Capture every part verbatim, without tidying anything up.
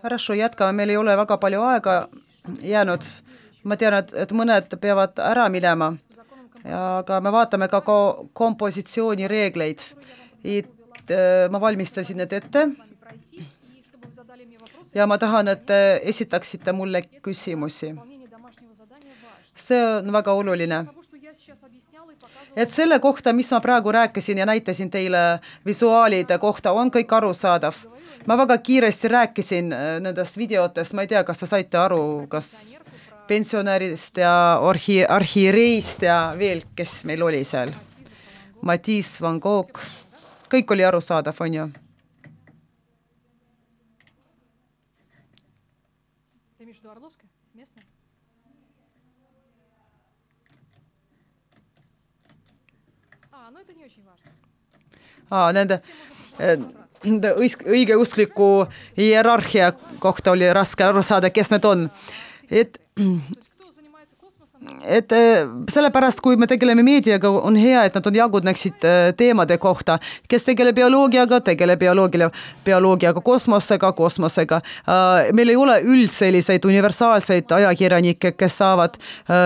Хорошо, jätkame, meil ei ole väga palju aega jäänud. Ma tean, et, et mõned peavad ära minema, aga me vaatame ka ko- kompositsiooni reegleid. Et, ma valmistasin need ette ja ma tahan, et te esitaksite mulle küsimusi. See on väga oluline. Et selle kohta, mis ma praegu rääkisin ja näitasin teile visuaalide kohta, on kõik arusaadav. Ma väga kiiresti rääkisin nendest videotest, ma ei tea, kas te saite aru, kas pensionärist ja arhi- arhiireist ja veel, kes meil oli seal. Matisse, Van Gogh, kõik oli arusaadav, on ju? Aa, nende õigeuskliku hierarhia kohta oli raske aru saada, kes need on. Et, et sellepärast, kui me tegeleme meediaga, on hea, et nad on jagudneksid teemade kohta. Kes tegeleb bioloogiaga, tegeleb bioloogiaga, bioloogiaga, kosmosega, kosmosega. Meil ei ole üld selliseid universaalseid ajakirjanikke, kes saavad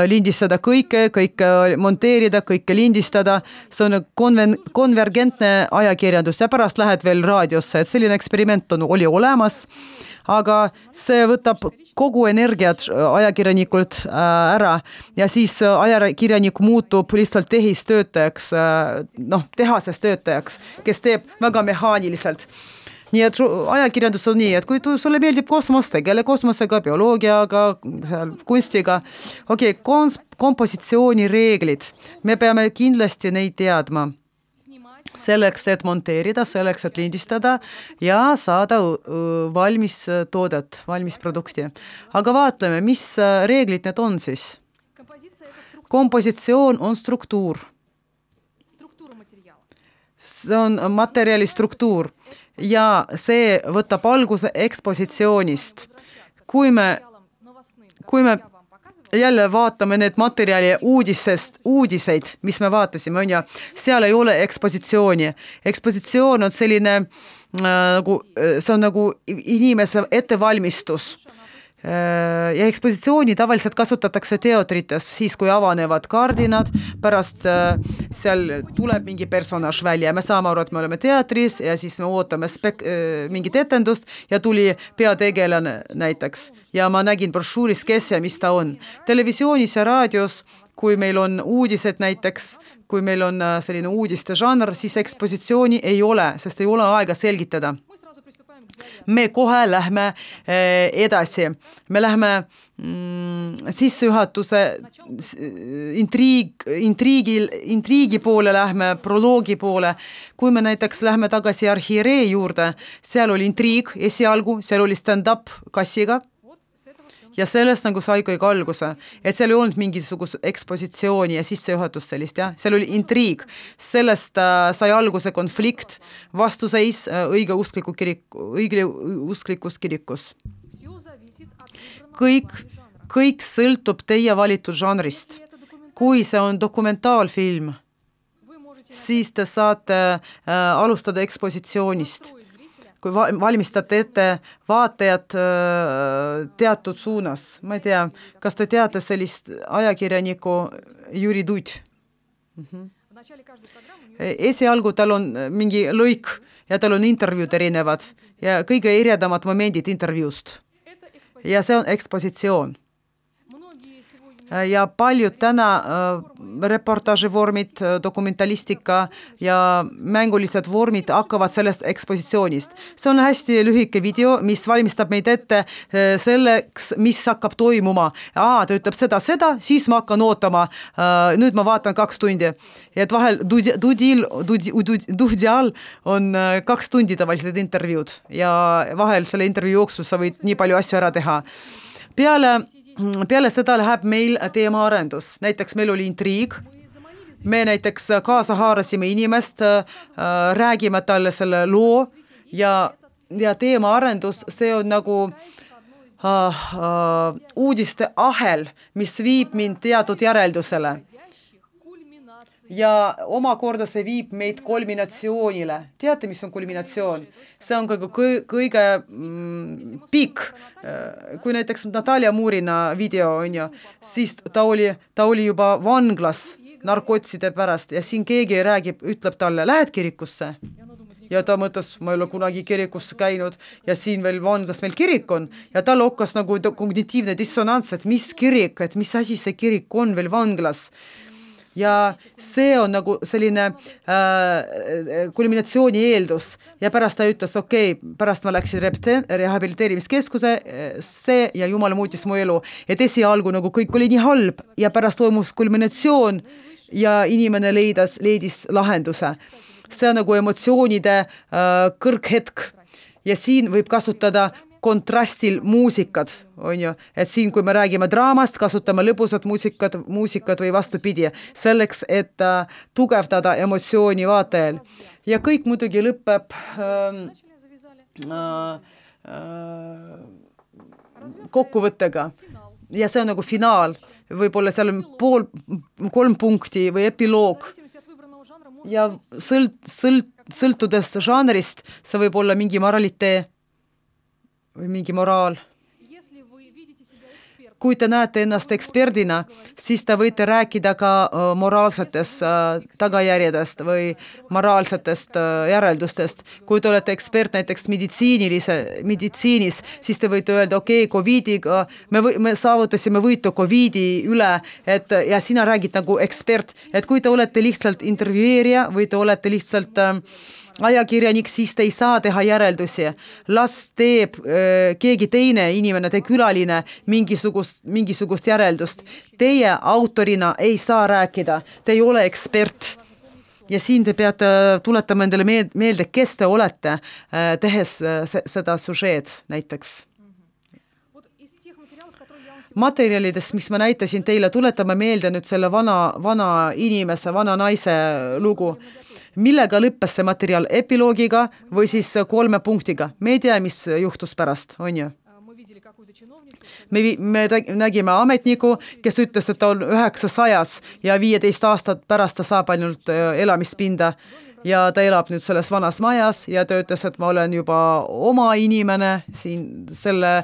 lindistada kõike, kõike monteerida, kõike lindistada. See on konven- konvergentne ajakirjandus ja pärast lähed veel raadiosse. Et selline eksperiment on, oli olemas, aga see võtab kogu energiat ajakirjanikult ära ja siis ajakirjanik muutub lihtsalt tehistöötajaks, noh, tehases töötajaks, kes teeb väga mehaaniliselt. Nii et ajakirjandus on nii, et kui sulle meeldib kosmos, tegele kosmosega, bioloogiaga, kunstiga, okei, okay, kompositsiooni reeglid, me peame kindlasti neid teadma. Selleks, et monteerida, selleks, et lindistada ja saada valmis toodet, valmis produkti. Aga vaatleme, mis reeglid need on siis? Kompositsioon on struktuur. See on materjali struktuur ja see võtab alguse ekspositsioonist. Kui me, kui me jälle vaatame need materjali uudisest, uudiseid, mis me vaatasime, on ja seal ei ole ekspositsiooni. Ekspositsioon on selline, nagu, see on nagu inimese ettevalmistus. Ja ekspositsiooni tavaliselt kasutatakse teatrites, siis kui avanevad kardinad, pärast seal tuleb mingi personaž välja ja me saame aru, et me oleme teatris ja siis me ootame spek- mingit etendust ja tuli peategelane näiteks. Ja ma nägin brošuuris, kes ja mis ta on. Televisioonis ja raadios, kui meil on uudised näiteks, kui meil on selline uudiste žanr, siis ekspositsiooni ei ole, sest ei ole aega selgitada. Me kohe lähme edasi. Me lähme mm, sissejuhatuse intriig, intriigil, intriigi poole lähme, proloogi poole. Kui me näiteks lähme tagasi arhiiree juurde, seal oli intriig esialgu, seal oli stand-up kassiga. Ja sellest nagu sai kõik alguse, et seal ei olnud mingisugust ekspositsiooni ja sissejuhatust sellist, jah. Seal oli intriig, sellest äh, sai alguse konflikt, vastuseis äh, õigeuskliku kirik, õigeusklikus kirikus. Kõik, kõik sõltub teie valitud žanrist. Kui see on dokumentaalfilm, siis te saate äh, alustada ekspositsioonist. Kui valmistate ette vaatajad teatud suunas. Ma ei tea, kas te teate sellist ajakirjaniku Jüri Duď? Mm-hmm. Esialgu tal on mingi lõik ja tal on intervjuud erinevad ja kõige eredamad momendid intervjuust. Ja see on ekspositsioon. Ja paljud täna äh, reportaaži vormid, dokumentalistika ja mängulised vormid hakkavad sellest ekspositsioonist. See on hästi lühike video, mis valmistab meid ette selleks, mis hakkab toimuma. Aa, ta ütleb seda, seda, siis ma hakkan ootama. Äh, nüüd ma vaatan kaks tundi. Et vahel Dudil, Dudial on kaks tundi tavalised intervjuud ja vahel selle intervjuu jooksul sa võid nii palju asju ära teha. Peale Peale seda läheb meil teemaarendus. Näiteks meil oli intriig. Me näiteks kaasa haarasime inimest, räägime talle selle loo ja, ja teemaarendus, see on nagu uh, uh, uudiste ahel, mis viib mind teatud järeldusele. ja omakorda see viib meid kulminatsioonile. Teate, mis on kulminatsioon? See on kõige, kõige mm, pikk. Kui näiteks Natalia Murina video on ju, siis ta oli, ta oli juba vanglas narkotside pärast ja siin keegi räägib, ütleb talle, lähed kirikusse? Ja ta mõtles, ma ei ole kunagi kirikusse käinud ja siin veel vanglas meil kirik on ja tal hakkas nagu kognitiivne dissonants, et mis kirik, et mis asi see kirik on veel vanglas. Ja see on nagu selline äh, kulminatsiooni eeldus ja pärast ta ütles, okei, okay, pärast ma läksin rehabiliteerimiskeskuse see ja Jumal muutis mu elu, et esialgu nagu kõik oli nii halb ja pärast toimus kulminatsioon ja inimene leidis, leidis lahenduse. See on nagu emotsioonide äh, kõrghetk ja siin võib kasutada kontrastil muusikad, on ju, et siin, kui me räägime draamast, kasutame lõbusat muusikat, muusikat või vastupidi, selleks, et äh, tugevdada emotsiooni vaatajal. Ja kõik muidugi lõpeb äh, äh, äh, kokkuvõttega. Ja see on nagu finaal, võib-olla seal on pool, kolm punkti või epiloog. Ja sõlt, sõlt, sõltudes žanrist, see võib olla mingi moralitee või mingi moraal. Kui te näete ennast eksperdina, siis te võite rääkida ka moraalsetest tagajärjedest või moraalsetest järeldustest. Kui te olete ekspert näiteks meditsiinilise, meditsiinis, siis te võite öelda, okei, okay, covidiga, me, või, me saavutasime võitu covidi üle, et, ja sina räägid nagu ekspert, et kui te olete lihtsalt intervjueerija või te olete lihtsalt äh, ajakirjanik, siis te ei saa teha järeldusi. Las teeb äh, keegi teine inimene, te külaline mingisugust, mingisugust järeldust. Teie autorina ei saa rääkida, te ei ole ekspert. Ja siin te peate tuletama endale meelde, kes te olete, äh, tehes äh, seda sužeed näiteks. Materjalidest, mis ma näitasin teile, tuletame meelde nüüd selle vana, vana inimese, vana naise lugu. Millega lõppes see materjal epiloogiga või siis kolme punktiga? Me ei tea, mis juhtus pärast, on ju? Me, me nägime ametniku, kes ütles, et ta on üheksasajas ja viieteist aastat pärast ta saab ainult elamispinda ja ta elab nüüd selles vanas majas ja ta ütles, et ma olen juba oma inimene siin selle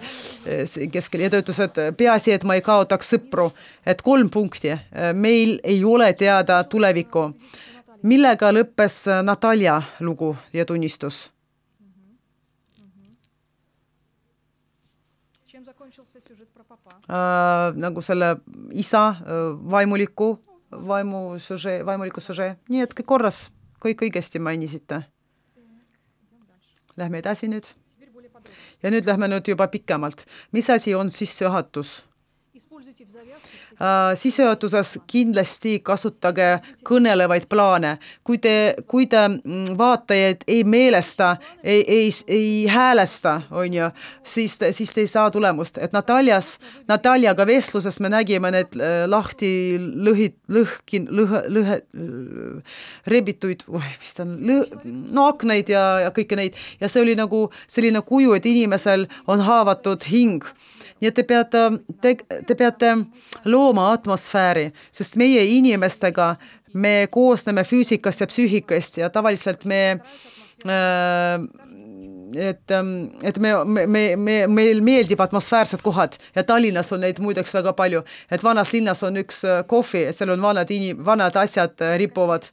keskel ja ta ütles, et peaasi, et ma ei kaotaks sõpru, et kolm punkti. Meil ei ole teada tulevikku. Millega lõppes Natalia lugu ja tunnistus? Äh, nagu selle isa vaimuliku, vaimu suže, vaimuliku suže. Nii et kõik korras, kõik õigesti mainisite. Lähme edasi nüüd. Ja nüüd lähme nüüd juba pikemalt. Mis asi on sissejuhatus? Uh, sissejuhatuses kindlasti kasutage kõnelevaid plaane. Kui te, kui te vaatajaid ei meelesta, ei, ei, ei häälesta, on ju, siis, siis te ei saa tulemust. Et Natalias, Nataliaga vestluses me nägime need lahti lõhid, lõhkin, lõhe, lõhe, rebituid, mis ta on, lõh, no aknaid ja, ja kõike neid. Ja see oli nagu selline kuju, et inimesel on haavatud hing. Nii et te peate, te, te peate looma atmosfääri, sest meie inimestega me koosneme füüsikast ja psüühikast ja tavaliselt me, et, et me, me, me, meil meeldib atmosfäärsed kohad ja Tallinnas on neid muideks väga palju, et vanas linnas on üks kohvi, seal on vanad, inim, vanad asjad ripuvad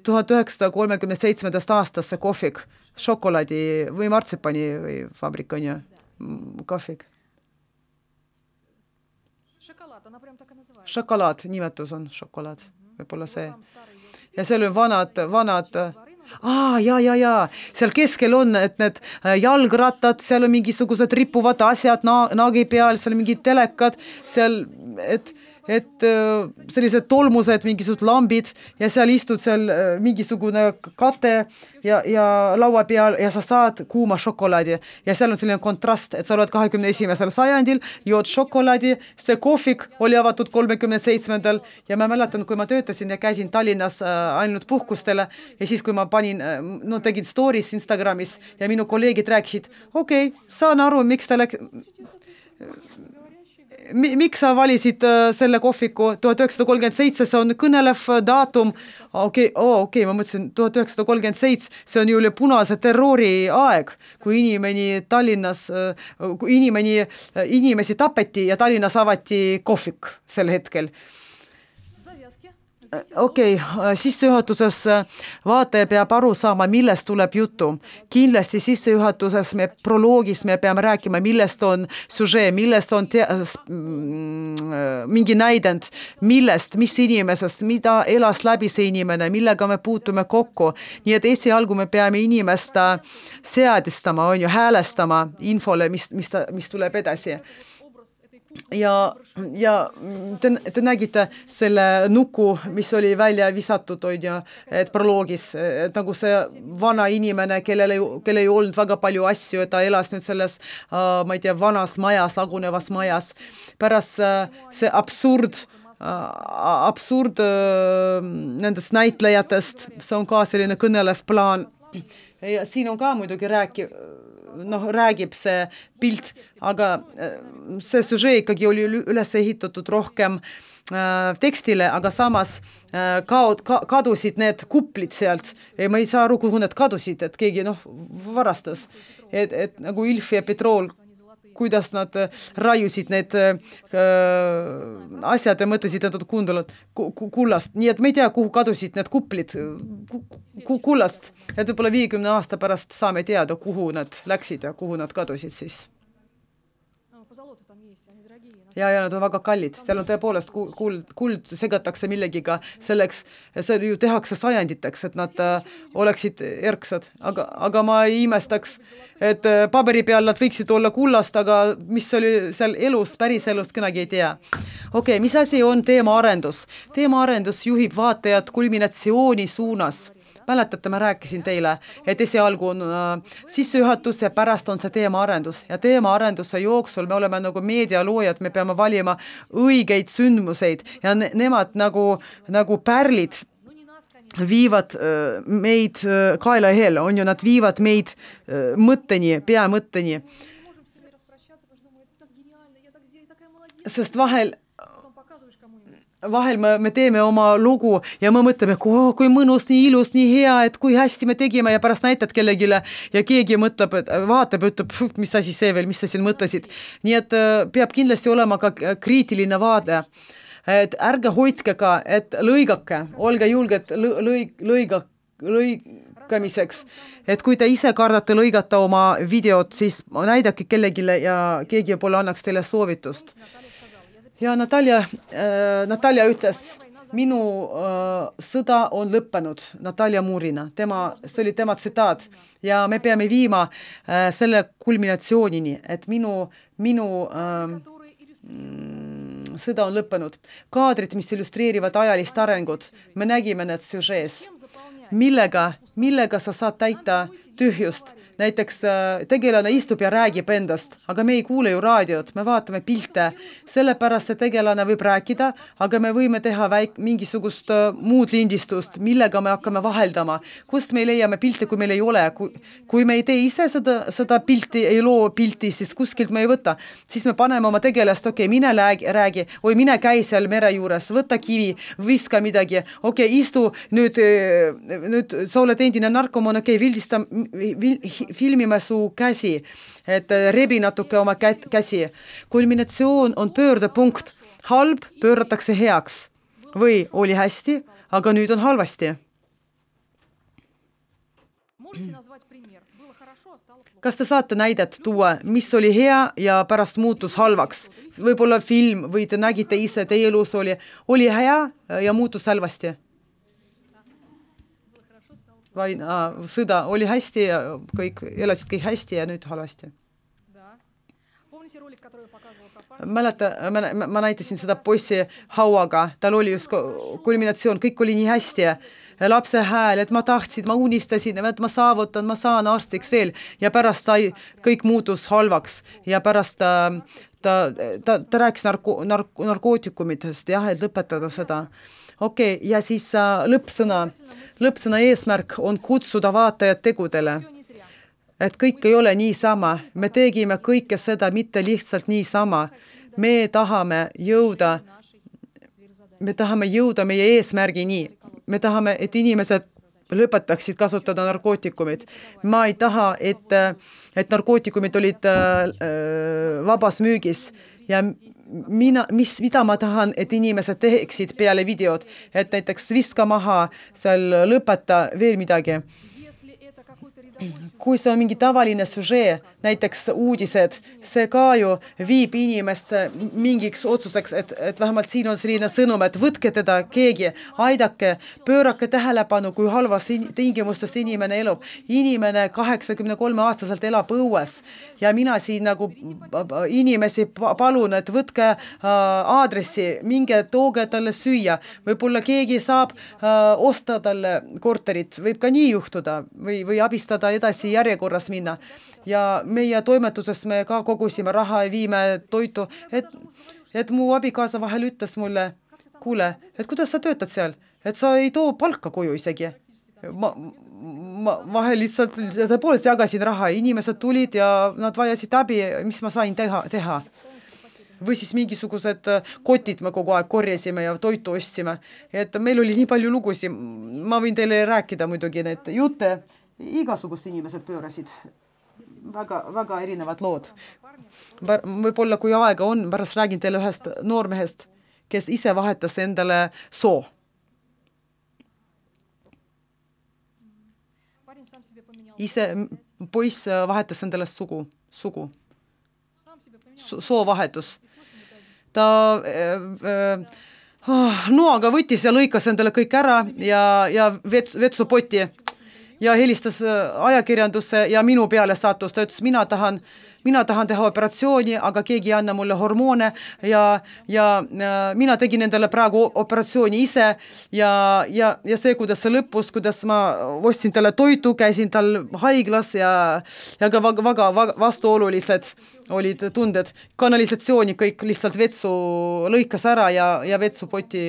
tuhat üheksasada kolmekümne seitsmendast aastast see kohvik, šokolaadi või martsipani või fabrik on ju. Kohvik. Šokolaad, nimetus on šokolaad, võib-olla see. Ja seal on vanad, vanad, aa, ja, ja, ja, seal keskel on, et need jalgrattad, seal on mingisugused ripuvad asjad na- naagi peal, seal on mingid telekad, seal, et et sellised tolmused, mingisugused lambid ja seal istud seal mingisugune kate ja, ja laua peal ja sa saad kuuma šokolaadi ja seal on selline kontrast, et sa oled kahekümne esimesel sajandil, jood šokolaadi, see kohvik oli avatud kolmekümne seitsmendal ja ma mäletan, kui ma töötasin ja käisin Tallinnas ainult puhkustele ja siis, kui ma panin, no tegin stories Instagramis ja minu kolleegid rääkisid, okei, okay, saan aru, miks ta läks miks sa valisid selle kohviku tuhat üheksasada kolmkümmend seitse, see on kõnelev daatum, okei okay,, oh, okay, ma mõtlesin tuhat üheksasada kolmkümmend seitse, see on ju üle punase terrori aeg, kui inimeni Tallinnas, kui inimeni, inimesi tapeti ja Tallinnas avati kohvik sel hetkel. Okei, okay, sissejuhatuses vaataja peab aru saama, millest tuleb jutu. Kindlasti sissejuhatuses me proloogis me peame rääkima, millest on süžee, millest on te- mingi näidend, millest, mis inimesest, mida elas läbi see inimene, millega me puutume kokku. Nii et esialgu me peame inimest seadistama, on ju, häälestama infole, mis, mis, ta, mis tuleb edasi. Ja, ja te, te nägite selle nuku, mis oli välja visatud, on ju, et proloogis, et nagu see vana inimene, kellel ei, kellel ei olnud väga palju asju, et ta elas nüüd selles, ma ei tea, vanas majas, lagunevas majas. Pärast see absurd, absurd nendest näitlejatest, see on ka selline kõnelev plaan. Ja siin on ka muidugi rääki, noh, räägib see pilt, aga see süžee ikkagi oli üles ehitatud rohkem äh, tekstile, aga samas äh, kaod, ka, kadusid need kuplid sealt. Ja ma ei saa aru, kuhu need kadusid, et keegi noh, varastas. Et, et nagu Ilf ja Petrol, kuidas nad raiusid need äh, asjad ja mõtlesid, et nad kuundavad kullast. Nii et me ei tea, kuhu kadusid need kuplid kullast. Et võib-olla viiekümne aasta pärast saame teada, kuhu nad läksid ja kuhu nad kadusid siis. Ja, ja nad on väga kallid. Seal on tõepoolest kuld, kuld segatakse millegiga selleks, see ju tehakse sajanditeks, et nad äh, oleksid erksad. Aga, aga ma ei imestaks, et äh, paberi peal nad võiksid olla kullast, aga mis oli seal elust, päris elust, kenagi ei tea. Okei, okay, mis asi on teemaarendus? Teemaarendus juhib vaatajad kulminatsiooni suunas. Mäletate, ma rääkisin teile, et esialgu on äh, sissejuhatus ja pärast on see teemaarendus. Ja teemaarenduse jooksul me oleme nagu meedialoojad, me peame valima õigeid sündmuseid ja ne- nemad nagu, nagu pärlid viivad äh, meid äh, kaela heel, on ju, nad viivad meid äh, mõtteni, peamõtteni. Sest vahel vahel me, me teeme oma lugu ja me mõtleme, oh, kui mõnus, nii ilus, nii hea, et kui hästi me tegime ja pärast näitad kellegile ja keegi mõtleb, et vaatab ja ütleb, mis asi see veel, mis sa siin mõtlesid. Nii et peab kindlasti olema ka kriitiline vaade. Et ärge hoidke ka, et lõigake, olge julged lõig, lõiga, lõigamiseks. Et kui te ise kardate lõigata oma videot, siis näidake kellegile ja keegi võib-olla annaks teile soovitust. Ja Natalja, äh, Natalja ütles, minu äh, sõda on lõppenud, Natalja Murina, tema, see oli tema tsitaat ja me peame viima äh, selle kulminatsioonini, et minu, minu äh, mm, sõda on lõppenud. Kaadrid, mis illustreerivad ajalist arengut, me nägime need süžees, millega, millega sa saad täita tühjust. Näiteks tegelane istub ja räägib endast, aga me ei kuule ju raadiot, me vaatame pilte. Sellepärast see tegelane võib rääkida, aga me võime teha väik, mingisugust muud lindistust, millega me hakkame vaheldama. Kust me leiame pilte, kui meil ei ole? Kui, kui me ei tee ise seda, seda pilti, ei loo pilti, siis kuskilt me ei võta. Siis me paneme oma tegelast, okei, okay, mine räägi, räägi, oi, mine käi seal mere juures, võta kivi, viska midagi, okei, okay, istu, nüüd, nüüd sa oled endine narkomaan, okei, okay, vildista, vil, filmime su käsi, et rebi natuke oma käsi. Kulminatsioon on pöördepunkt. Halb pööratakse heaks. Või oli hästi, aga nüüd on halvasti. Kas te saate näidet tuua, mis oli hea ja pärast muutus halvaks? Võib-olla film või te nägite ise, teie elus oli, oli hea ja muutus halvasti? Vai, a, sõda oli hästi ja kõik, elasid kõik hästi ja nüüd halvasti. Mäleta, ma, ma näitasin seda poissi hauaga, tal oli just kulminatsioon, kõik oli nii hästi ja lapse hääl, et ma tahtsin, ma unistasin, et ma saavutan, ma saan arstiks veel ja pärast sai, kõik muutus halvaks ja pärast ta, ta, ta, ta rääkis narko, narko, narkootikumidest, jah, et lõpetada seda. Okei, okay, ja siis uh, lõppsõna. Lõppsõna eesmärk on kutsuda vaatajad tegudele. Et kõik ei ole nii sama. Me tegime kõike seda mitte lihtsalt nii sama. me tahame jõuda, me tahame jõuda meie eesmärgini. Me tahame, et inimesed lõpetaksid kasutada narkootikumid. Ma ei taha, et, et narkootikumid olid äh, vabas müügis ja mina, mis, mida ma tahan, et inimesed teeksid peale videot, et näiteks viska maha, seal lõpeta veel midagi. Kui see on mingi tavaline süžee, näiteks uudised, see ka ju viib inimest mingiks otsuseks, et, et vähemalt siin on selline sõnum, et võtke teda keegi, aidake, pöörake tähelepanu, kui halvas tingimustes inimene elab. Inimene kaheksakümne kolme aastaselt elab õues ja mina siin nagu inimesi palun, et võtke aadressi, minge tooge talle süüa, võib-olla keegi saab osta talle korterit, võib ka nii juhtuda või, või abistada edasi järjekorras minna. Ja meie toimetuses me ka kogusime raha ja viime toitu, et, et mu abikaasa vahel ütles mulle, kuule, et kuidas sa töötad seal, et sa ei too palka koju isegi. Ma, ma vahel lihtsalt tõepoolest jagasin raha, inimesed tulid ja nad vajasid abi, mis ma sain teha, teha. Või siis mingisugused kotid me kogu aeg korjasime ja toitu ostsime. Et meil oli nii palju lugusi, ma võin teile rääkida muidugi need jutte, igasugust inimesed pöörasid. Väga, väga erinevad lood. Võib-olla kui aega on, pärast räägin teile ühest noormehest, kes ise vahetas endale soo. Ise poiss vahetas endale sugu, sugu. Soo vahetus. Ta äh, äh, noaga võttis ja lõikas endale kõik ära ja, ja vets, vetsupoti ja helistas ajakirjandusse ja minu peale sattus. Ta ütles, mina tahan, mina tahan teha operatsiooni, aga keegi ei anna mulle hormoone ja, ja, ja mina tegin endale praegu operatsiooni ise ja, ja, ja see, kuidas see lõppus, kuidas ma ostsin talle toitu, käisin tal haiglas ja, ja ka väga, väga, väga vastuolulised olid tunded. Kanalisatsiooni kõik lihtsalt vetsu lõikas ära ja, ja vetsupoti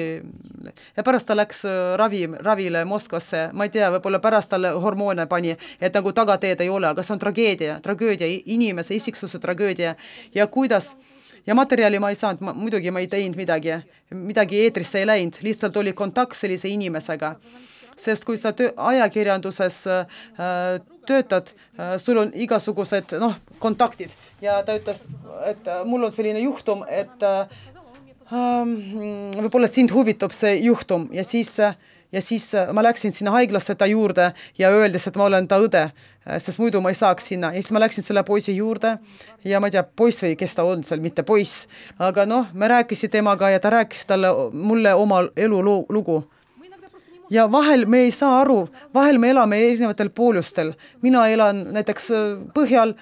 ja pärast ta läks ravi, ravile Moskvasse. Ma ei tea, võib-olla pärast talle hormoone pani, et nagu tagateed ei ole, aga see on tragöödia, tragöödia, inimese isiksuse tragöödia ja kuidas ja materjali ma ei saanud, ma, muidugi ma ei teinud midagi, midagi eetrisse ei läinud, lihtsalt oli kontakt sellise inimesega. Sest kui sa töö, ajakirjanduses äh, töötad, äh, sul on igasugused noh, kontaktid ja ta ütles, et äh, mul on selline juhtum, et äh, äh, võib-olla sind huvitab see juhtum ja siis, äh, ja siis äh, ma läksin sinna haiglasse ta juurde ja öeldes, et ma olen ta õde, äh, sest muidu ma ei saaks sinna. Ja siis ma läksin selle poisi juurde ja ma ei tea, poiss või kes ta on seal, mitte poiss, aga noh, me rääkisid temaga ja ta rääkis talle mulle oma elu lugu. Ja vahel me ei saa aru, vahel me elame erinevatel poolustel. Mina elan näiteks põhjal,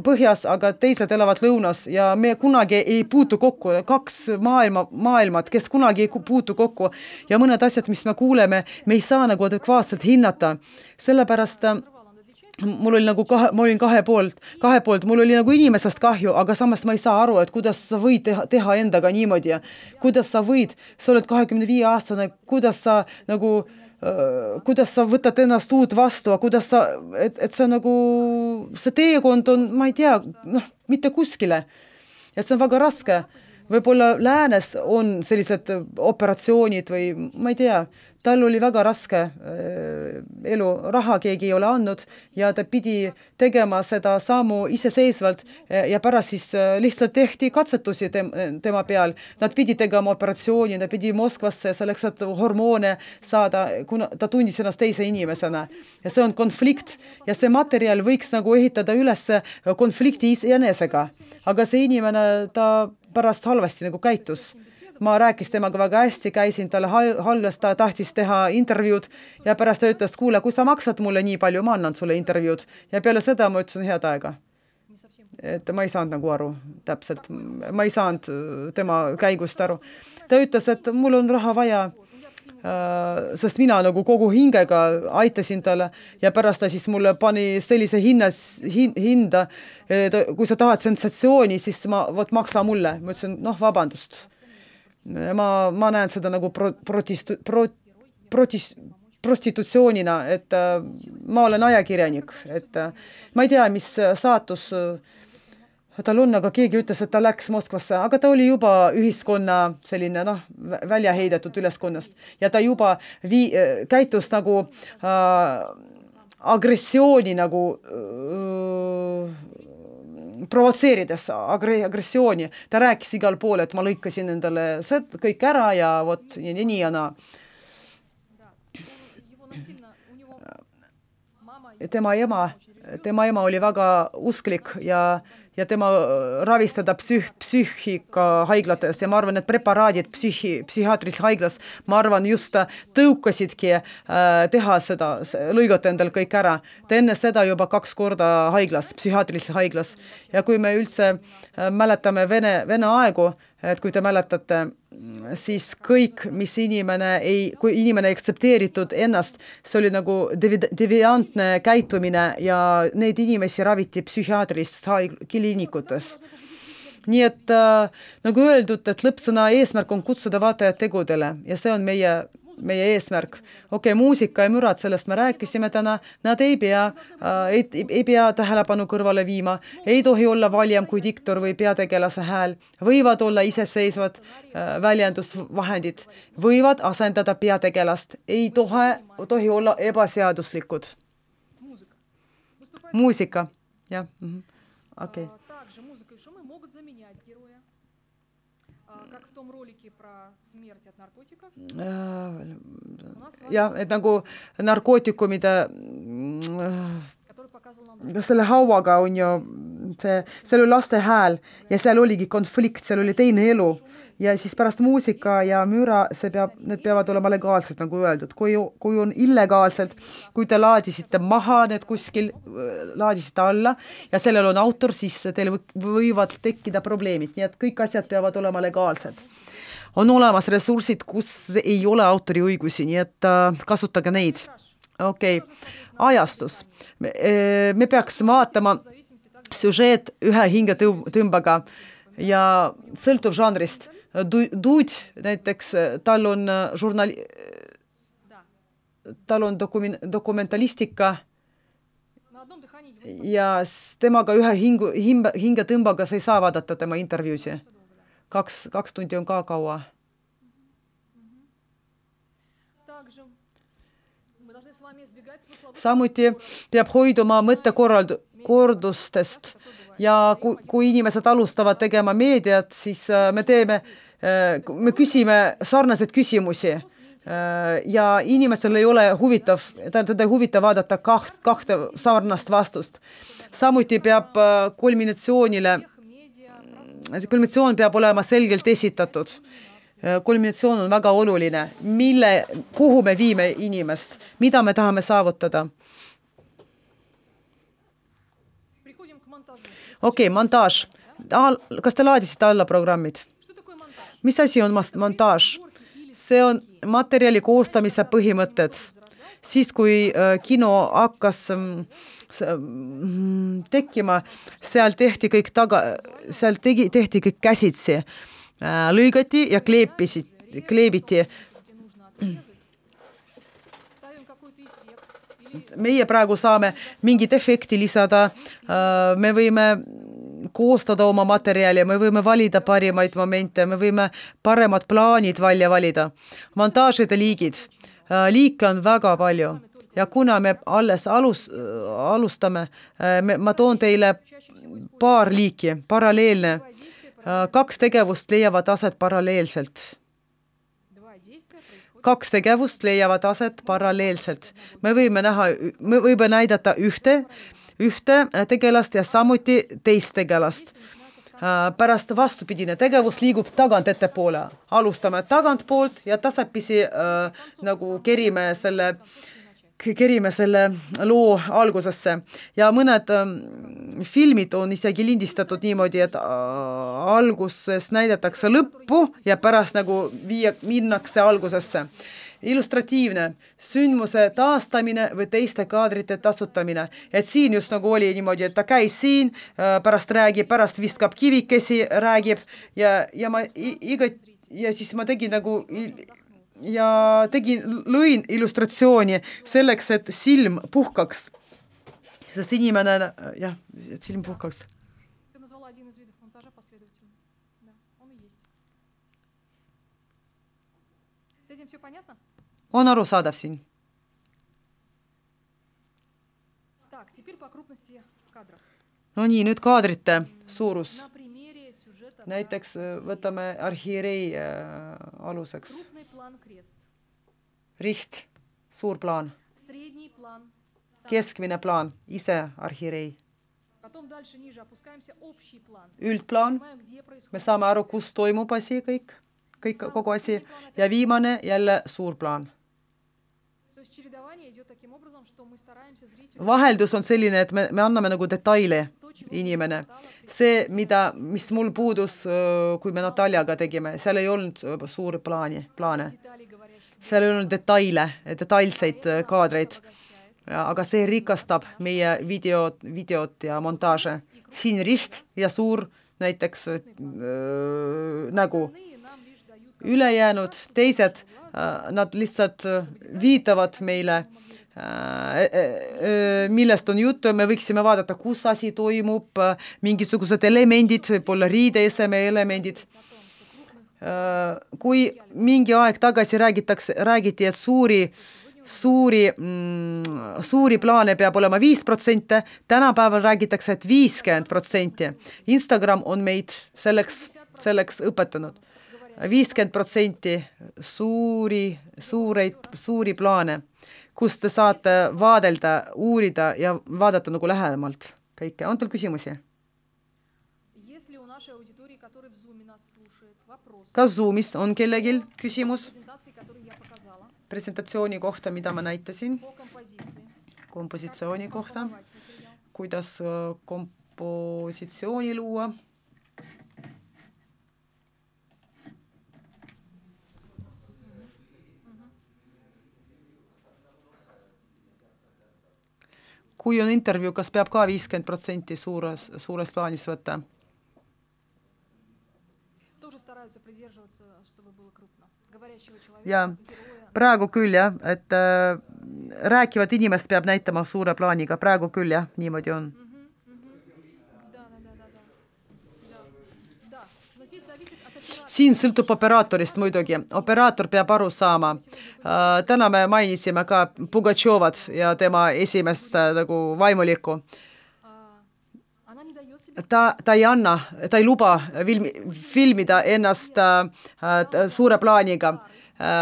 põhjas, aga teised elavad lõunas ja me kunagi ei puutu kokku. Kaks maailma, maailmad, kes kunagi ei puutu kokku ja mõned asjad, mis me kuuleme, me ei saa nagu adekvaatselt hinnata. Sellepärast mul oli nagu kahe, ma olin kahe poolt, kahe poolt, mul oli nagu inimesest kahju, aga samas ma ei saa aru, et kuidas sa võid teha, teha endaga niimoodi ja kuidas sa võid, sa oled kahekümne viie aastane, kuidas sa nagu, äh, kuidas sa võtad ennast uut vastu, kuidas sa, et, et see nagu, see teekond on, ma ei tea, noh, mitte kuskile ja see on väga raske. Võib-olla läänes on sellised operatsioonid või ma ei tea, tal oli väga raske elu, raha keegi ei ole andnud ja ta pidi tegema seda sammu iseseisvalt ja pärast siis lihtsalt tehti katsetusi tema peal. Nad pidi tegema operatsiooni, nad pidi Moskvasse selleks, et hormoone saada, kuna ta tundis ennast teise inimesena. Ja see on konflikt ja see materjal võiks nagu ehitada üles konflikti iseenesega. Aga see inimene, ta pärast halvasti nagu käitus. Ma rääkis temaga väga hästi, käisin talle halvas, ta tahtis teha intervjuud ja pärast ta ütles, kuule, kui sa maksad mulle nii palju, ma annan sulle intervjuud. Ja peale seda ma ütlesin head aega. Et ma ei saanud nagu aru täpselt. Ma ei saanud tema käigust aru. Ta ütles, et mul on raha vaja, sest mina nagu kogu hingega aitasin talle ja pärast ta siis mulle pani sellise hinnas, hinda, kui sa tahad sensatsiooni, siis ma, võt maksa mulle. Ma ütlesin, noh, vabandust. Ma, ma näen seda nagu pro, protistu, pro, protis, prostitutsioonina, et äh, ma olen ajakirjanik, et äh, ma ei tea, mis saatus äh, tal on, aga keegi ütles, et ta läks Moskvasse, aga ta oli juba ühiskonna selline noh, välja heidetud üleskonnast ja ta juba vii, käitus nagu äh, agressiooni nagu äh, provotseerides agressiooni. Ta rääkis igal pool, et ma lõikasin endale kõik ära ja vot ja nii ja naa. Tema ema, tema ema oli väga usklik ja, ja tema ravistada psüh, psüühika haiglates ja ma arvan, et preparaadid psüühi, psühhiaatrilis haiglas, ma arvan, just tõukasidki äh, teha seda, lõigata endal kõik ära. Ta enne seda juba kaks korda haiglas, psühhiaatrilis haiglas. Ja kui me üldse äh, mäletame Vene, Vene aegu, et kui te mäletate, siis kõik, mis inimene ei, kui inimene ei aktsepteeritud ennast, see oli nagu deviantne käitumine ja neid inimesi raviti psühhiaatrilistes kliinikutes. Nii et äh, nagu öeldud, et lõppsõna eesmärk on kutsuda vaatajad tegudele ja see on meie, meie eesmärk. Okei, okay, muusika ja mürad, sellest me rääkisime täna, nad ei pea, äh, ei, ei pea tähelepanu kõrvale viima, ei tohi olla valjam kui diktor või peategelase hääl, võivad olla iseseisvad äh, väljendusvahendid, võivad asendada peategelast, ei tohi, tohi olla ebaseaduslikud. Muusika, jah. Mm-hmm. Okei. Okay. jah, et nagu narkootikumide selle hauaga on ju see, seal oli laste hääl ja seal oligi konflikt, seal oli teine elu ja siis pärast muusika ja müra, see peab, need peavad olema legaalsed, nagu öeldud. Kui, kui on illegaalsed, kui te laadisite maha need kuskil, laadisite alla ja sellel on autor, siis teil võivad tekkida probleemid, nii et kõik asjad peavad olema legaalsed. On olemas ressursid, kus ei ole autoriõigusi, nii et äh, kasutage neid. Okei, okay. Ajastus. Me, me peaks vaatama süžeet ühe hingetõmbaga ja sõltub žanrist. Duud, näiteks tal on žurnali... tal on dokumen... dokumentalistika ja temaga ühe hingu... hingetõmbaga sa ei saa vaadata tema intervjuusi. Kaks, kaks tundi on ka kaua. Samuti peab hoiduma mõttekordustest ja kui, kui inimesed alustavad tegema meediat, siis me teeme, me küsime sarnaseid küsimusi ja inimesel ei ole huvitav, teda ei huvita vaadata kaht, kahte sarnast vastust. Samuti peab kulminatsioonile kulminatsioon peab olema selgelt esitatud. Kulminatsioon on väga oluline. Mille, kuhu me viime inimest? Mida me tahame saavutada? Okei, okay, montaaž. Kas te laadisite alla programmid? Mis asi on montaaž? See on materjali koostamise põhimõtted. Siis, kui kino hakkas tekkima, seal tehti kõik taga, seal tegi, tehti kõik käsitsi, lõigati ja kleepisid, kleebiti. Meie praegu saame mingit efekti lisada, me võime koostada oma materjali, me võime valida parimaid momente, me võime paremad plaanid välja valida. Montaažide liigid, liike on väga palju. Ja kuna me alles alus, alustame, me, ma toon teile paar liiki, paralleelne. Kaks tegevust leiavad aset paralleelselt. Kaks tegevust leiavad aset paralleelselt. Me võime näha, me võime näidata ühte, ühte tegelast ja samuti teist tegelast. Pärast vastupidine tegevus liigub tagant ettepoole. Alustame tagantpoolt ja tasapisi äh, nagu kerime selle kerime selle loo algusesse ja mõned ähm, filmid on isegi lindistatud niimoodi, et äh, alguses näidatakse lõppu ja pärast nagu viia, minnakse algusesse. Illustratiivne, sündmuse taastamine või teiste kaadrite tasutamine. Et siin just nagu oli niimoodi, et ta käis siin, äh, pärast räägib, pärast viskab kivikesi, räägib ja, ja ma iga, ja siis ma tegin nagu ja tegin, lõin illustratsiooni selleks, et silm puhkaks. Sest inimene, jah, et silm puhkaks. один из видов монтажа последовательно. Да, он и есть. С этим все понятно? On arusaadav siin? Так, теперь по крупности кадров. No nii, nüüd kaadrite suurus. На примере сюжета Näiteks võtame arhiirei aluseks. крупный план крест. Rist, suur plaan. Средний план. Keskmine plaan, ise arhiirei. Потом дальше ниже опускаемся общий план. Üldplaan, me saame aru, kus toimub asi kõik, kõik kogu asi. Ja viimane jälle suur plaan. То есть чередование идет таким образом, что мы стараемся зрителю Vaheldus on selline, et me, me anname nagu detaile inimene. See, mida, mis mul puudus, kui me Nataljaga tegime, seal ei olnud suuri plaani, plaane. деталей говорящих. Seal ei olnud detaile, detailseid kaadreid. Ja, aga see rikastab meie videot, videot ja montaaže. Siin rist ja suur näiteks äh, nägu. Ülejäänud teised, äh, nad lihtsalt viitavad meile, äh, äh, millest on juttu. Me võiksime vaadata, kus asi toimub, mingisugused elemendid, võib-olla riideeseme elemendid. Äh, kui mingi aeg tagasi räägitakse, räägiti, et suuri Suuri, mm, suuri plaane peab olema viis protsenti, tänapäeval räägitakse, et viiskümmend protsenti. Instagram on meid selleks, selleks õpetanud. viiskümmend protsenti suuri, suureid, suuri plaane, kus te saate vaadelda, uurida ja vaadata nagu lähemalt kõike. On teil küsimusi? Kas Zoomis on kellelgi küsimus? Presentatsiooni kohta, mida ma näitasin, kompositsiooni kohta, kuidas kompositsiooni luua. Kui on intervjuu, kas peab ka viiskümmend protsenti suures, suures plaanis võtta? Ja praegu küll jah, et äh, rääkivad inimest peab näitama suure plaaniga, praegu küll jah, niimoodi on. Siin sõltub operaatorist muidugi, operaator peab aru saama. Äh, täna me mainisime ka Pugatšovat ja tema esimest äh, nagu vaimulikku. Ta, ta ei anna, ta ei luba filmi, filmida ennast äh, suure plaaniga.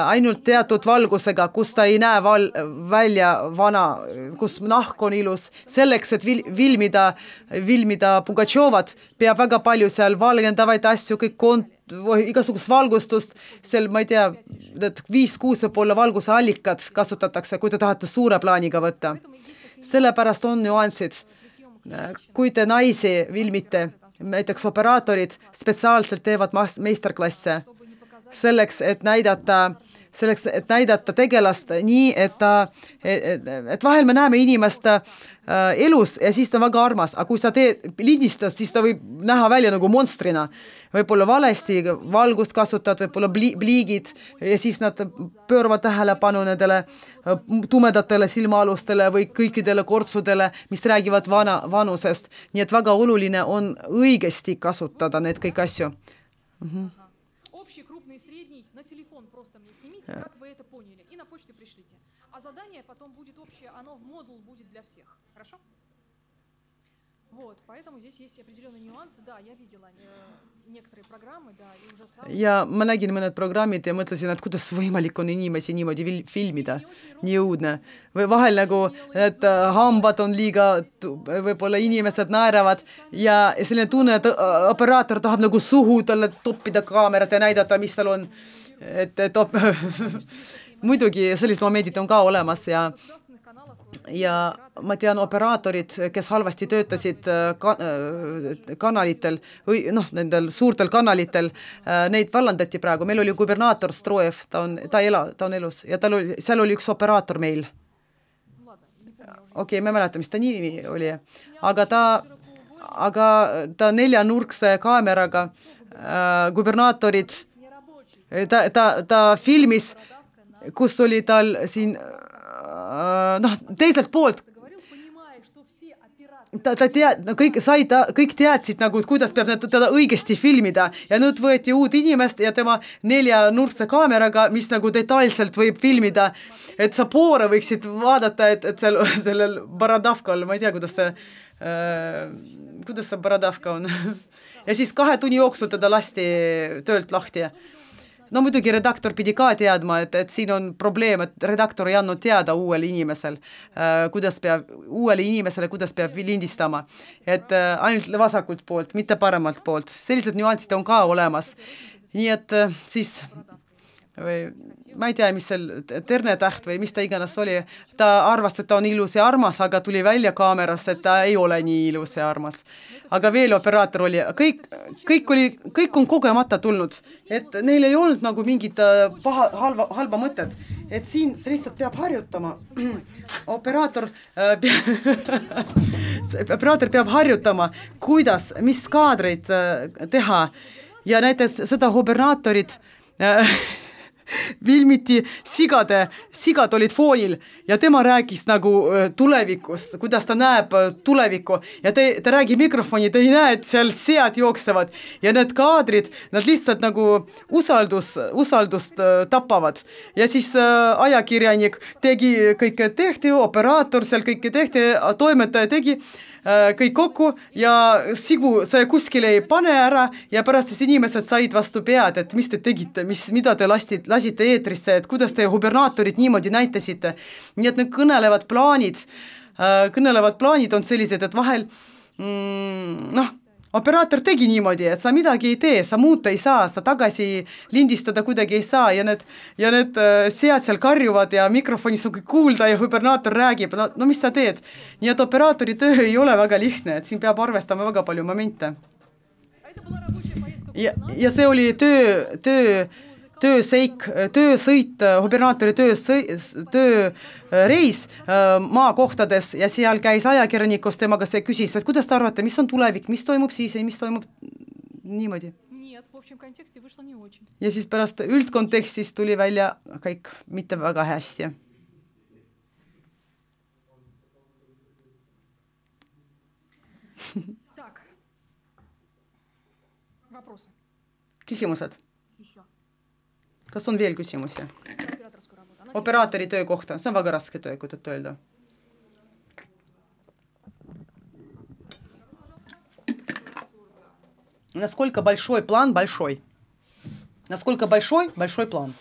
Ainult teatud valgusega, kus ta ei näe val, välja vana, kus nahk on ilus. Selleks, et vil, filmida, filmida Pugatšovat, peab väga palju seal valgendavaid asju, kõik kont, igasugust valgustust, seal, ma ei tea, viis-kuus võib-olla valguse allikad kasutatakse, kui te tahate suure plaaniga võtta. Sellepärast on nüansid. Kui te naisi filmite, näiteks operaatorid spetsiaalselt teevad meisterklasse, selleks, et näidata, selleks, et näidata tegelast nii, et, ta, et, et vahel me näeme inimest äh, elus ja siis ta on väga armas, aga kui sa teed lindistad, siis ta võib näha välja nagu monstrina. Võib-olla valesti valgust kasutad, võib-olla pliigid ja siis nad pööravad tähelepanu nendele tumedatele silmaalustele või kõikidele kortsudele, mis räägivad vana, vanusest. Nii et väga oluline on õigesti kasutada need kõik asju. Mhm. Как вы это поняли, и на почту пришлите. А задание потом будет общее, оно в модул будет для всех. Хорошо? Вот, поэтому здесь есть определенные нюансы. Да, я видела некоторые программы, да, и ужасаюсь. Ja ma nägin mõned programmid ja mõtlesin, et kuidas võimalik on inimesi niimoodi filmida. Nii õudne. Või vahel nagu, et hambad on liiga, võib-olla inimesed naeravad ja selline tunne, et operaator tahab nagu suhu talle toppida kaamerat ja näidata, mis tal on. Et, et op... muidugi sellised momendid on ka olemas ja, ja ma tean operaatorid, kes halvasti töötasid ka, kanalitel või noh, nendel suurtel kanalitel, neid vallandati praegu. Meil oli gubernaator Strojev, ta on, ta ela, ta on elus ja tal oli, seal oli üks operaator meil. Okei, okay, me mäletan, mis ta nimi oli, aga ta, aga ta neljanurkse kaameraga äh, gubernaatorid Ta, ta, ta filmis, kus oli tal siin, noh, teiselt poolt, ta, ta tead, no kõik sai, ta, kõik teadsid nagu, kuidas peab teda õigesti filmida ja nüüd võeti uut inimest ja tema neljanurkse kaameraga, mis nagu detailselt võib filmida, et sa poore võiksid vaadata, et, et seal, sellel Baradavkal, ma ei tea, kuidas see äh, kuidas see Baradavka on ja siis kahe tunni jooksul teda lasti töölt lahti. No muidugi redaktor pidi ka teadma, et, et siin on probleem, et redaktor ei andnud teada uuele inimesel, äh, kuidas peab, uuele inimesele, kuidas peab lindistama. Et äh, ainult vasakult poolt, mitte paremalt poolt. Sellised nüansid on ka olemas. Nii et äh, siis, või, ma ei tea, mis seal ternetäht või mis ta iganes oli, ta arvas, et ta on ilus ja armas, aga tuli välja kaameras, et ta ei ole nii ilus ja armas. Aga veel operaator oli, kõik, kõik oli, kõik on kogemata tulnud, et neil ei olnud nagu mingit paha, halva, halba mõtet, et siin see lihtsalt peab harjutama. Operaator, äh, pea, operaator peab harjutama, kuidas, mis kaadreid äh, teha ja näiteks seda operatorit äh, filmiti sigade, sigad olid foonil ja tema rääkis nagu tulevikust, kuidas ta näeb tulevikku ja te, ta räägib mikrofoni, te ei näe, et seal sead jooksevad ja need kaadrid, nad lihtsalt nagu usaldus, usaldust tapavad ja siis äh, ajakirjanik tegi kõike tehti, operaator seal kõike tehti, toimetaja tegi kõik kokku ja sigu see kuskile ei pane ära ja pärast siis inimesed said vastu pead, et mis te tegite, mis, mida te lastid, lasite eetrisse, et kuidas te hubernaatorid niimoodi näitasite. Nii et need kõnelevad plaanid, kõnelevad plaanid on sellised, et vahel mm, noh, operaator tegi niimoodi, et sa midagi ei tee, sa muuta ei saa, sa tagasi lindistada kuidagi ei saa ja need, ja need sead seal karjuvad ja mikrofonis on kõik kuulda ja hubernaator räägib, no, no mis sa teed? Nii et operaatori töö ei ole väga lihtne, et siin peab arvestama väga palju momente. Ja, ja see oli töö, töö, tööseik, töösõit, hubernaatori tööreis maakohtades ja seal käis ajakirjanikus temaga, see küsis, et kuidas te arvate, mis on tulevik, mis toimub siis ja mis toimub niimoodi. Ja siis pärast üldkontekstis tuli välja kõik mitte väga hästi. Küsimused? Kas on veel küsimusi? Оператори töö kohta, see on väga raske töö, kui tõtt öelda. Насколько большой план? Большой. Насколько большой? Большой план.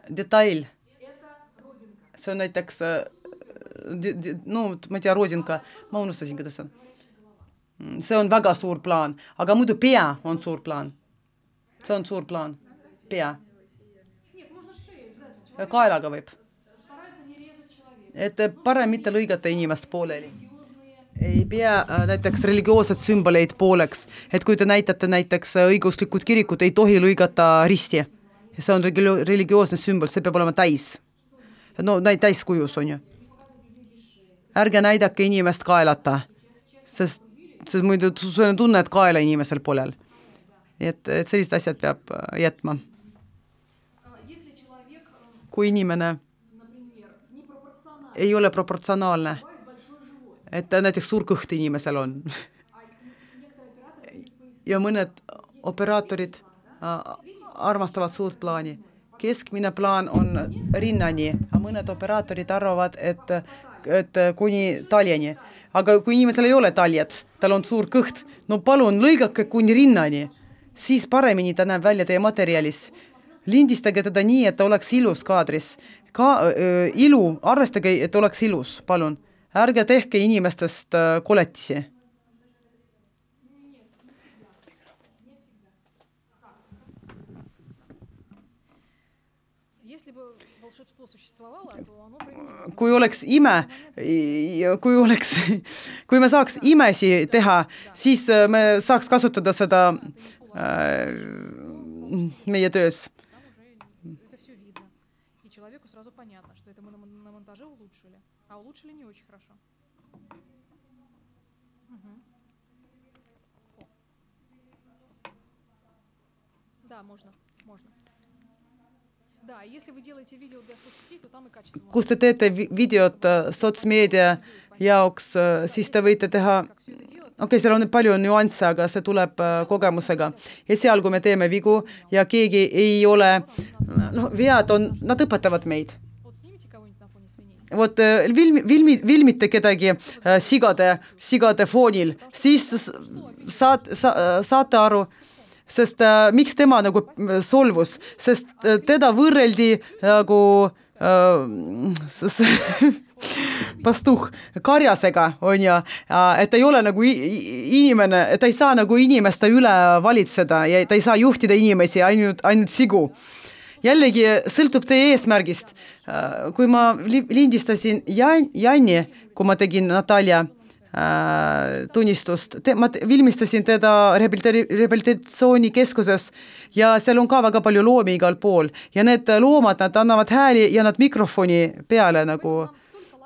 Деталь. See on näiteks, no ma ei tea, rodinka, ma unustasin, kuidas see on. See on väga suur plaan, aga muidu pea on suur plaan. See on suur plaan. Pea. Kaelaga võib. Et parem mitte lõigata inimest pooleli. Ei pea näiteks religioossed sümboleid pooleks. Et kui te näitate näiteks õiguslikud kirikut, ei tohi lõigata risti. See on religioosne sümbol, see peab olema täis. No täis kujus on ju. Ärge näidake inimest kaelata, sest sest muidu sul tunne, et kaela inimesel polel. Et, et sellised asjad peab jätma. Kui inimene ei ole proportsionaalne, et näiteks suur kõht inimesel on. Ja mõned operaatorid armastavad suurt plaani. Keskmine plaan on rinnani, aga mõned operaatorid arvavad, et, et kuni taljani. Aga kui inimesel ei ole taljad, tal on suur kõht, no palun lõigake kuni rinnani, siis paremini ta näeb välja teie materjalis. Lindistage teda nii, et ta oleks ilus kaadris. Ka, äh, ilu, arvestage, et oleks ilus, palun. Ärge tehke inimestest äh, koletisi. Kui oleks ime, kui oleks, kui me saaks imesi teha, siis me saaks kasutada seda äh, meie töös. Да, если вы делаете видео для соцсетей, то там и качество. kus te teete vi- videot äh, sotsmeedia jaoks, äh, siis te võite teha, okei okay,, seal on palju nüansse, aga see tuleb äh, kogemusega. Ja seal, kui me teeme vigu ja keegi ei ole, noh, vead on, nad õpetavad meid. Вот снимите кого-нибудь на фоне свиней. Vot äh, vilmi, vilmi, vilmite kedagi äh, sigade, sigade foonil, siis s- saad, sa, saate aru, sest äh, miks tema nagu äh, solvus, sest äh, teda võrreldi nagu äh, s- s- pastuh karjasega, on ju, et ta ei ole nagu i- i- inimene, et ta ei saa nagu inimeste üle valitseda ja ta ei saa juhtida inimesi, ainult, ainult sigu. Jällegi sõltub teie eesmärgist. Äh, Kui ma li- lindistasin Jan, Janni, kui ma tegin Natalja äh, tunnistust, te, ma te- filmistasin teda rehabilitari- rehabilitatsioonikeskuses ja seal on ka väga palju loomi igal pool ja need loomad, nad annavad hääli ja nad mikrofoni peale nagu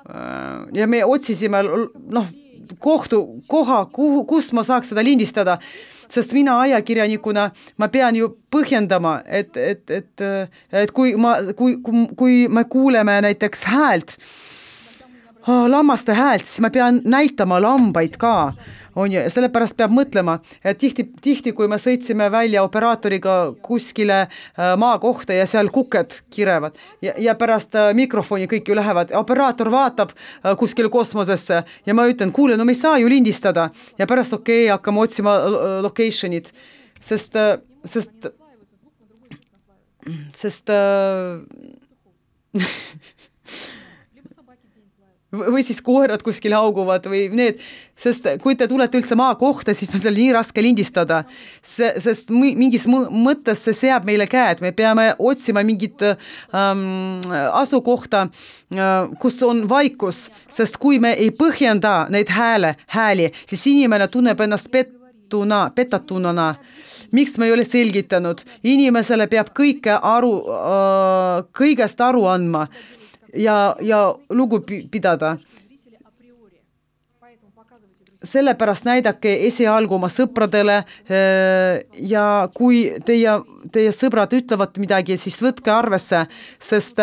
äh, ja me otsisime l- noh, kohtu, koha, kuhu, kus ma saaks seda lindistada, sest mina ajakirjanikuna ma pean ju põhjendama, et, et, et, et kui ma, kui, kui, kui me kuuleme näiteks häält, lammaste häält, siis ma pean näitama lambaid ka, on ju, sellepärast peab mõtlema, et tihti, tihti, kui me sõitsime välja operaatoriga kuskile äh, maakohta ja seal kuked kirevad ja, ja pärast äh, mikrofoni kõik ju lähevad, operaator vaatab äh, kuskile kosmosesse ja ma ütlen, kuule, no me ei saa ju lindistada ja pärast okei okay,, hakkame otsima äh, location'id, sest äh, sest sest äh, või siis koerad kuskil hauguvad või need, sest kui te tulete üldse maa kohta, siis on seal nii raske lindistada, sest mingis mõttes see seab meile käed, me peame otsima mingit ähm, asukohta, kus on vaikus, sest kui me ei põhjenda neid hääle, hääli, siis inimene tunneb ennast pettuna, petatunana. Miks me ei ole selgitanud? Inimesele peab kõike aru, äh, kõigest aru andma ja, ja lugu pidada. Sellepärast näidake esialgu oma sõpradele ja kui teie, teie sõbrad ütlevad midagi, siis võtke arvesse, sest,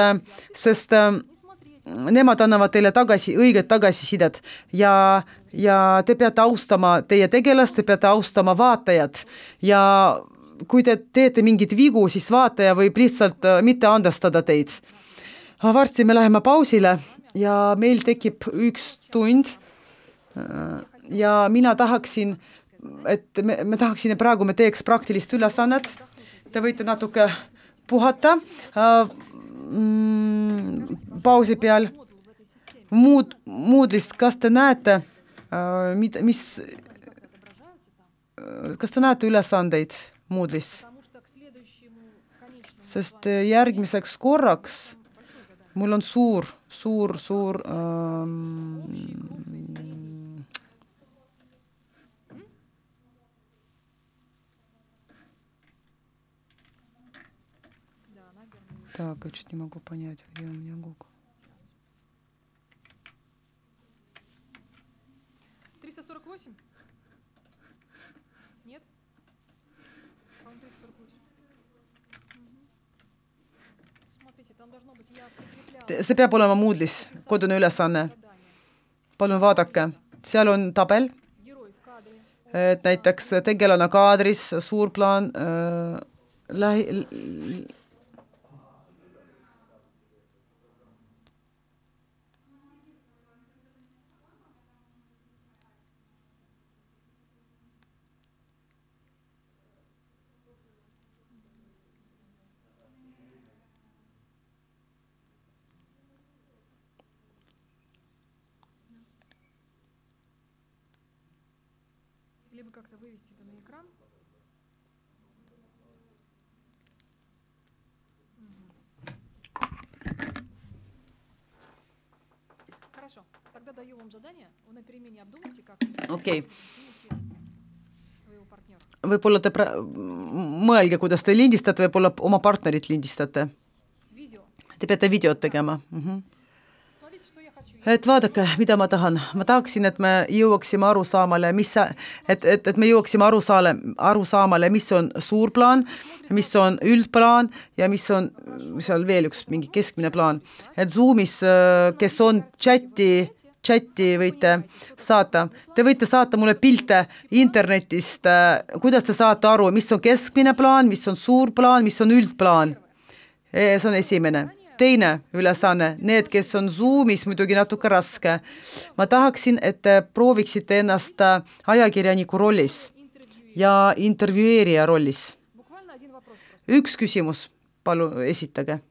sest nemad annavad teile tagasi, õiget tagasisidet ja, ja te peate austama teie tegelast, te peate austama vaatajat ja kui te teete mingit vigu, siis vaataja võib lihtsalt mitte andestada teid. Varsti me läheme pausile ja meil tekib üks tund ja mina tahaksin, et me, me tahaksin ja praegu me teeks praktilist ülesannet. Te võite natuke puhata mm, pausi peal. Muud, muudlist, kas te näete, mida, mis, kas te näete ülesandeid muudlis? Sest järgmiseks korraks mul on suur, suur, suur ähm, так, я чуть не могу понять, где у меня Google. триста сорок восемь? Нет? По-моему, триста сорок восемь. Смотрите, там должно быть я прикрепляла. See peab olema muudlis, kodune ülesanne. Palun vaadake, seal on tabel, et näiteks tegelane kaadris, suur plaan, äh, lähi, Либо как-то вывести это на экран. Хорошо. Тогда даю вам задание. Вы на перемене обдумайте, как okei. своего партнера. Võib-olla te pra- mõelge, kuidas te lindistate, võib-olla oma partnerit lindistate. Видео. Te peate videot tegema. Mhm. Смотрите, что я хочу et vaadake, mida ma tahan. Ma tahaksin, et me jõuaksime aru saamale, mis, et, et, et me jõuaksime aru, saale, aru saamale, mis on suur plaan, mis on üldplaan ja mis on seal veel üks mingi keskmine plaan. Et Zoomis, kes on chati, chati võite saata. Te võite saata mulle pilte internetist, kuidas te saate aru, mis on keskmine plaan, mis on suur plaan, mis on üldplaan. See on esimene. Teine ülesanne, need, kes on Zoomis, muidugi natuke raske. Ma tahaksin, et te prooviksite ennast ajakirjaniku rollis ja intervjueerija rollis. Üks küsimus, palu esitage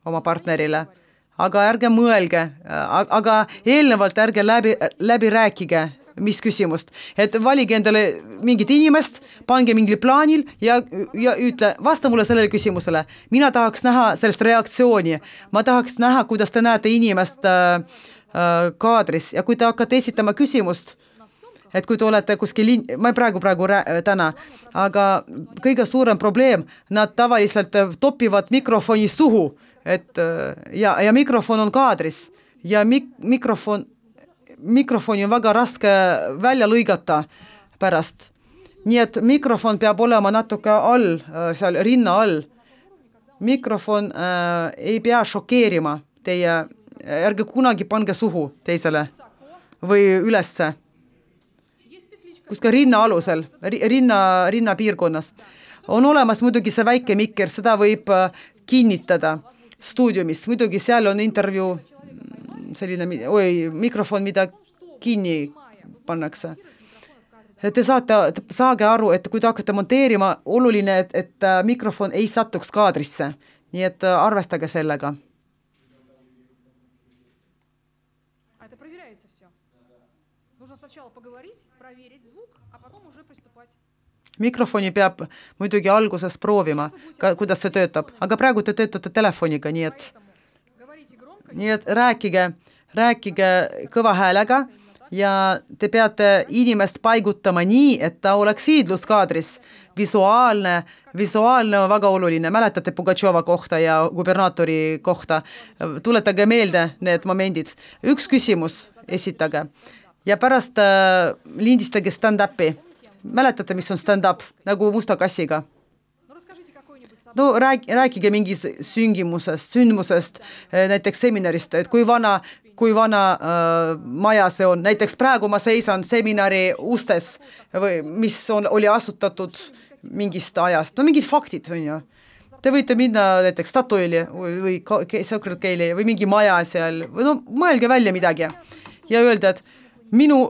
oma partnerile, aga ärge mõelge, aga eelnevalt ärge läbi, läbi rääkige, mis küsimust. Et valige endale mingit inimest, pange mingil plaanil ja, ja ütle, vasta mulle sellele küsimusele. Mina tahaks näha sellest reaktsiooni. Ma tahaks näha, kuidas te näete inimest äh, äh, kaadris ja kui te hakkate esitama küsimust, et kui te olete kuskil, ma praegu praegu rää, täna, aga kõige suurem probleem, nad tavaliselt topivad mikrofoni suhu, et ja, ja mikrofon on kaadris ja mik, mikrofon mikrofoni on väga raske välja lõigata pärast. Nii et mikrofon peab olema natuke all, seal rinna all. Mikrofon äh, ei pea šokeerima teie, ärge kunagi pange suhu teisele või ülesse. Kuska rinna alusel, rinna, rinna piirkonnas. On olemas muidugi see väike mikker, seda võib kinnitada stuudiumis. Muidugi seal on intervjuu selline oi, mikrofon, mida kinni pannakse. Te saate, saage aru, et kui te hakkate monteerima, oluline, et, et mikrofon ei satuks kaadrisse. Nii et arvestage sellega. Mikrofoni peab muidugi alguses proovima, kuidas see töötab. Aga praegu te töötate telefoniga, nii et Nii et rääkige, rääkige kõva häälega ja te peate inimest paigutama nii, et ta oleks hiidluskaadris. Visuaalne, visuaalne on väga oluline. Mäletate Pugatšova kohta ja gubernaatori kohta. Tuletage meelde need momendid. Üks küsimus esitage ja pärast äh, lindistage stand-upi. Mäletate, mis on stand-up? Nagu musta kassiga. No rääk, rääkige mingis süngimusest, sündmusest, näiteks seminarist, et kui vana, kui vana äh, maja see on. Näiteks praegu ma seisan seminari ustes, või, mis on, oli asutatud mingist ajast. No mingid faktid on ju. Te võite minna näiteks Statoili või, või Circle K-li või mingi maja seal. Või no mõelge välja midagi ja öelda, et minu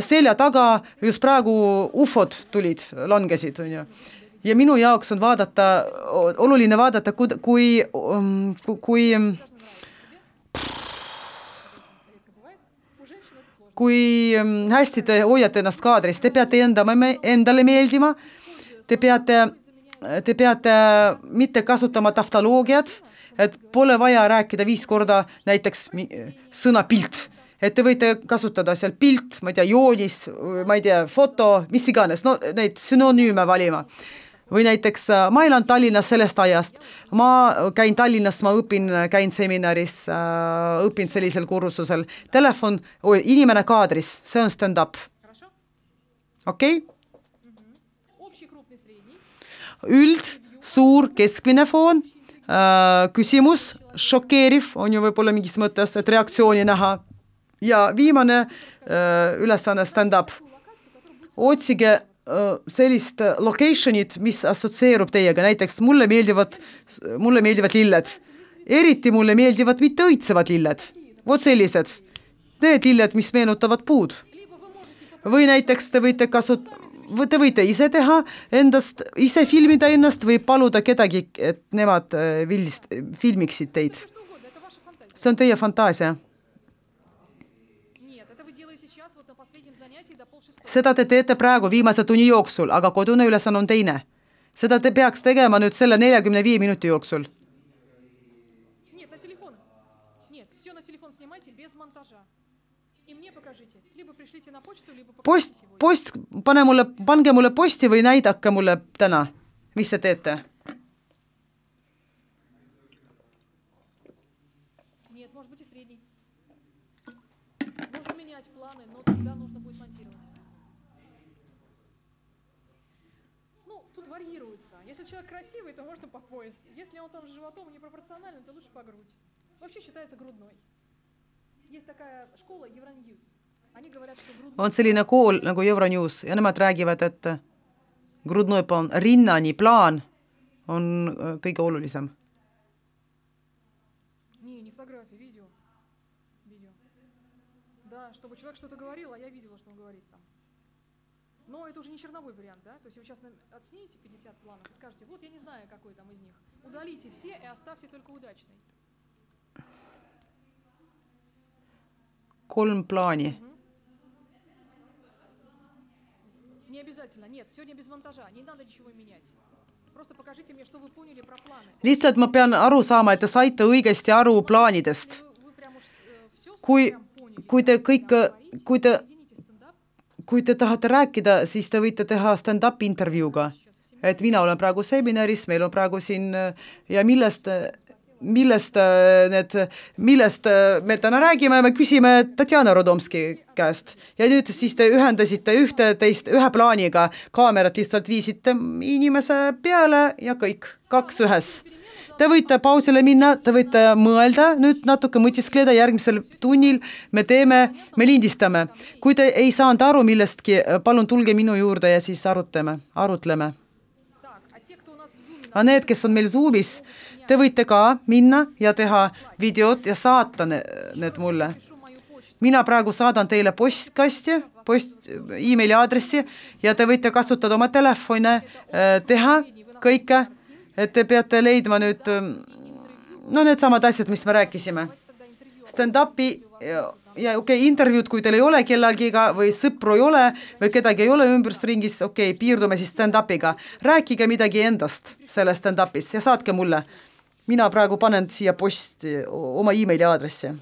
selja taga just praegu ufod tulid, langesid on ju. Ja minu jaoks on vaadata, oluline vaadata, kui, kui, kui, kui hästi te hoiate ennast kaadris. Te peate enda, endale meeldima, te peate, te peate mitte kasutama taftoloogiat, et pole vaja rääkida viis korda näiteks sõna pilt. Et te võite kasutada seal pilt, ma ei tea, joonis, ma ei tea, foto, mis iganes, no neid synonüüme valima. Või näiteks ma elan Tallinnas sellest ajast. Ma käin Tallinnas, ma õpin, käin seminaris, õpin sellisel kursusel. Telefon, inimene kaadris, see on stand-up. Okei? Üld, suur, keskmine foon, küsimus, šokeeriv, on ju võib-olla mingis mõttes, et reaktsiooni näha. Ja viimane ülesanne stand-up. Otsige sellist locationit, mis assotsieerub teiega. Näiteks mulle meeldivad, mulle meeldivad lilled. Eriti mulle meeldivad mitte õitsevad lilled. Vot sellised. Need lilled, mis meenutavad puud. Või näiteks te võite kasut... Te võite ise teha endast, ise filmida ennast või paluda kedagi, et nemad villist, filmiksid teid. See on teie fantaasia. Seda te teete praegu viimase tunni jooksul, aga kodune ülesanne on teine. Seda te peaks tegema nüüd selle neljakümne viie minuti jooksul. Post, post, pane mulle, pange mulle posti või näidake mulle täna, mis te teete. панель, но тогда нужно будет монтировать. Ну, тут варьируется. Если человек красивый, то можно по пояс. Если он там с животом непропорционально, то лучше по грудь. Вообще считается грудной. Есть такая школа Евроньюз. Они говорят, что грудной... On selline kool nagu Euronews ja nemad räägivad, et grudnoi plaan, rinnani plaan on kõige olulisem. Не, не фотографии, видео. Видео. Да, чтобы человек что-то говорил, а я видела, что он говорит там. Но это уже не черновой вариант, да? То есть вы сейчас отснимете пятьдесят планов и скажете, вот я не знаю, какой там из них. Удалите все и оставьте только удачный. Kolm plaani. Не обязательно, нет, сегодня без монтажа, не надо ничего менять. Просто покажите мне, что вы поняли про планы. Lihtsalt ma pean aru saama, et te saite õigesti aru plaanidest. Kui, kui te kõik, kui te, kui te tahate rääkida, siis te võite teha stand-up intervjuuga. Et mina olen praegu seminaris, meil on praegu siin ja millest, millest, need, millest me täna räägime, me küsime Tatjana Rodomski käest. Ja nüüd siis te ühendasite ühte teist ühe plaaniga, kaamerat lihtsalt viisite inimese peale ja kõik, kaks ühes. Te võite pausile minna, te võite mõelda, nüüd natuke mõtiskleda järgmisel tunnil, me teeme, me lindistame. Kui te ei saanud aru millestki, palun tulge minu juurde ja siis arutame, arutleme. A need, kes on meil Zoomis, te võite ka minna ja teha videot ja saata need mulle. Mina praegu saadan teile postkasti, post, e-maili aadressi ja te võite kasutada oma telefone, teha kõike, et te peate leidma nüüd no need samad asjad, mis me rääkisime. Stand-upi ja, ja okei, okay, intervjuud, kui teil ei ole kellagiga või sõpru ei ole või kedagi ei ole ümbrusringis, okei, okay, piirdume siis stand-upiga. Rääkige midagi endast selle stand-upis ja saatke mulle. Mina praegu panen siia posti oma e-maili aadressi.